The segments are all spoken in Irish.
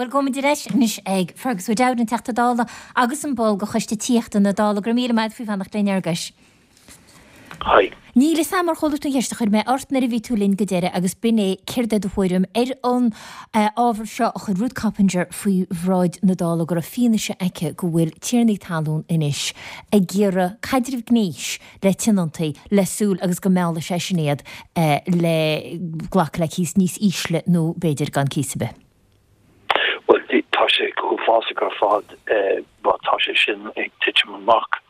Bhuel, gabhfaimid ar ais anois ag Fergus O'Dowd, an Teachta Dála agus an ball de Choiste Tithíochta na Dála. Go raibh míle maith agat faoi fanacht linn, Fhearghuis. Hi. Níl fhios a'm ar chuala tú an cheist a chuir mé ort nuair a bhí tú linn go deireadh agus b'in é céard é do thuairim ar an ábhar seo a chuir Ruth Coppinger faoi bhráid na Dála go raibh fianaise aici go bhfuil tiarnaí talún anois ag iarraidh caidreamh gnéis le tionóntaí le súil agus go meallfaidh sé sin iad le glacadh le cíos níos ísle nó b'fhéidir gan cíos ar bith. Bhuel, tá sé go huafásach ar fad má tá sé sin ag titim amach.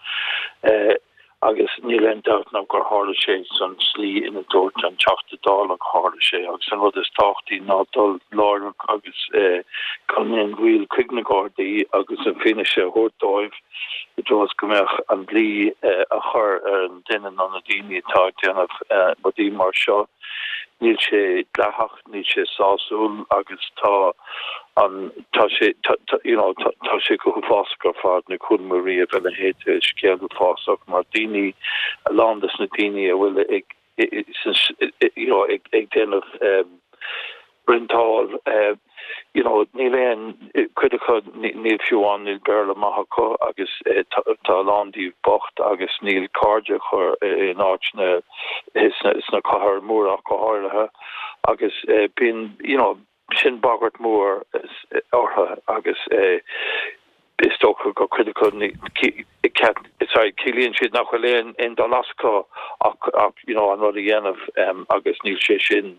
Agus níl aon dabht ná gur tharla sé san tslí ina dúirt an Teachta Dála gur tharla sé. Agus an rud is tábhachtaí ná dul láithreach agus gan aon mhoill chuig na Gardaí agus an fianaise a thabhairt dóibh i dtreo is go mbeadh an dlí á chur ar an duine nó na daoine atá ag déanamh rudaí mar seo. Níl sé dleathach. Níl sé sásúil agus tá an, tá sé, you know, tá sé go huafásach ar fad, níor chuala mé riamh a leithéid de scéal uafásach mar daoine, a lán des na daoine a bhfuil ag, you know, ag déanamh rentáil, you know, níl aon, cuid acu níl fiú amháin, níl Béarla maith acu agus tá a lán díobh bocht agus níl cairde acu in áiteanna, sna cathair móra ach go háirithe agus bíonn, you know, sin bagairt mhór orthu agus is dócha gur cuid acu, sorry, ciallaíonn siad nach bhfuil aon aon dul as acu ach ach you know an rud a dhéanamh agus níl sé sin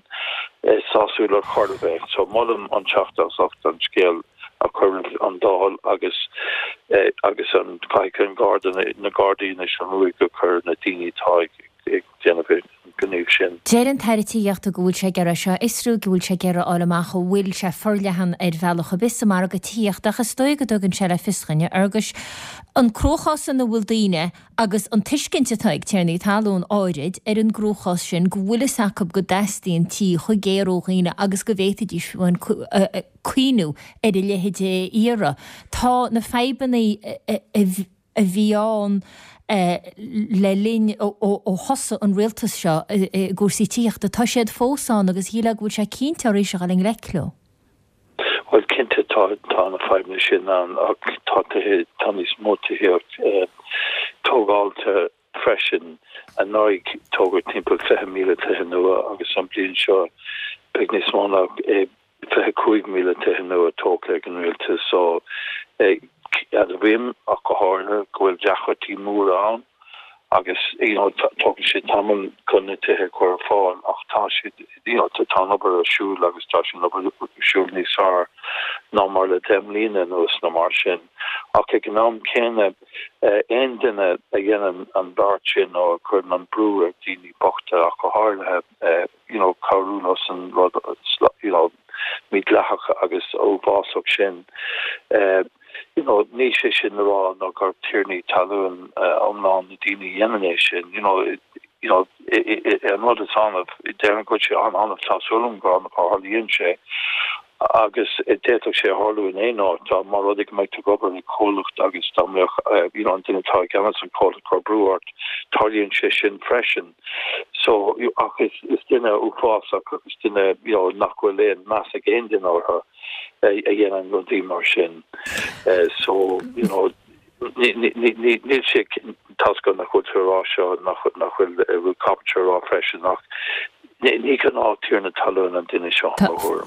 sásúil ar chor ar bith. So molaim an Teachta as ucht an scéal a chur roimh an Dáil agus agus an caithfidh an Garda na Gardaí anois an ruaig a chur ar na daoine atá ag ag déanamh an gníomh sin. Deir an tAire Tithíochta go bhfuil sé ag iarraidh seo a fhiosrú, go bhfuil sé ag iarraidh a fháil amach an bhfuil sé forleathan ar bhealach ar bith sa margadh tithíochta ach is dóigh go dtugann sé le fios dhuinn, a Fhearghuis, an cruachás ina bhfuil daoine agus an tuiscint atá ag tiarnaí talún áirid ar an gcruachás sin go bhfuil fhios acu go dteastaíonn tí chomh géar ó dhaoine agus go bhféadfaidís fiú amháin cuimhniú ar a leithéid a iarraidh. Tá na fadhbanna a. a bhí ann le linn ó thosaigh an rialtas seo i gcúrsaí tithíochta, tá siad fós ann agus shílfeá go bhfuil sé cinnte arís a dhul i ngleic leo. Bhuel, cinnte tá tá na fadhbanna sin ann ach tá tithe, tá níos mó tithíocht tógáilte freisin. Anuraidh tógadh timpeall 20,000 tithe nua agus an bhliain seo beidh níos mó ná 25,000 tithe nua tógtha ag an rialtas so admhaím ach go háirithe go bhfuil deacrachtaí móra ann agus you know tógann sé tamall chun na tithe a chur ar fáil ach tá siad you know tá an obair ar siúl agus tá an obair ar siúl níos fearr ná mar le 10 mbliana anuas nó mar sin ach ag an am céanna aon duine a dhéanann an beart sin nó a chuireann an brú ar daoine bochta ach go háirithe you know, cabhrú leo san rud, you know, mídhleathach agus uafásach sin. You know, níl sé sin le rá ná gur tiarnaí talún iomlán na daoine a dhéanann é sin, you know, you know, an rud is annamh, déarfainn go bhfuil sé an-annamh, tá súil agam gur annamh a tharlaíonn sé, agus d'fhéadfadh sé a tharlú in aon áit, dá mba rud é go mbeadh tú ag obair i gcomhlacht agus dá mbeadh, you know, an duine atá i gceannas an chomhlacht ag cur brú ort, tarlaíonn sé sin freisin. So, ach is, is duine uafásach agus duine, you know, nach bhfuil aon meas ag aon duine orthu a dhéanann rudaí mar sin. So, you know, níl sé, tá's agam nach bhfuil tú ag rá seo, nach bhfuil Ruth Coppinger ag rá freisin ach ní gnáth tiarna talún an duine seo, mo thuairim.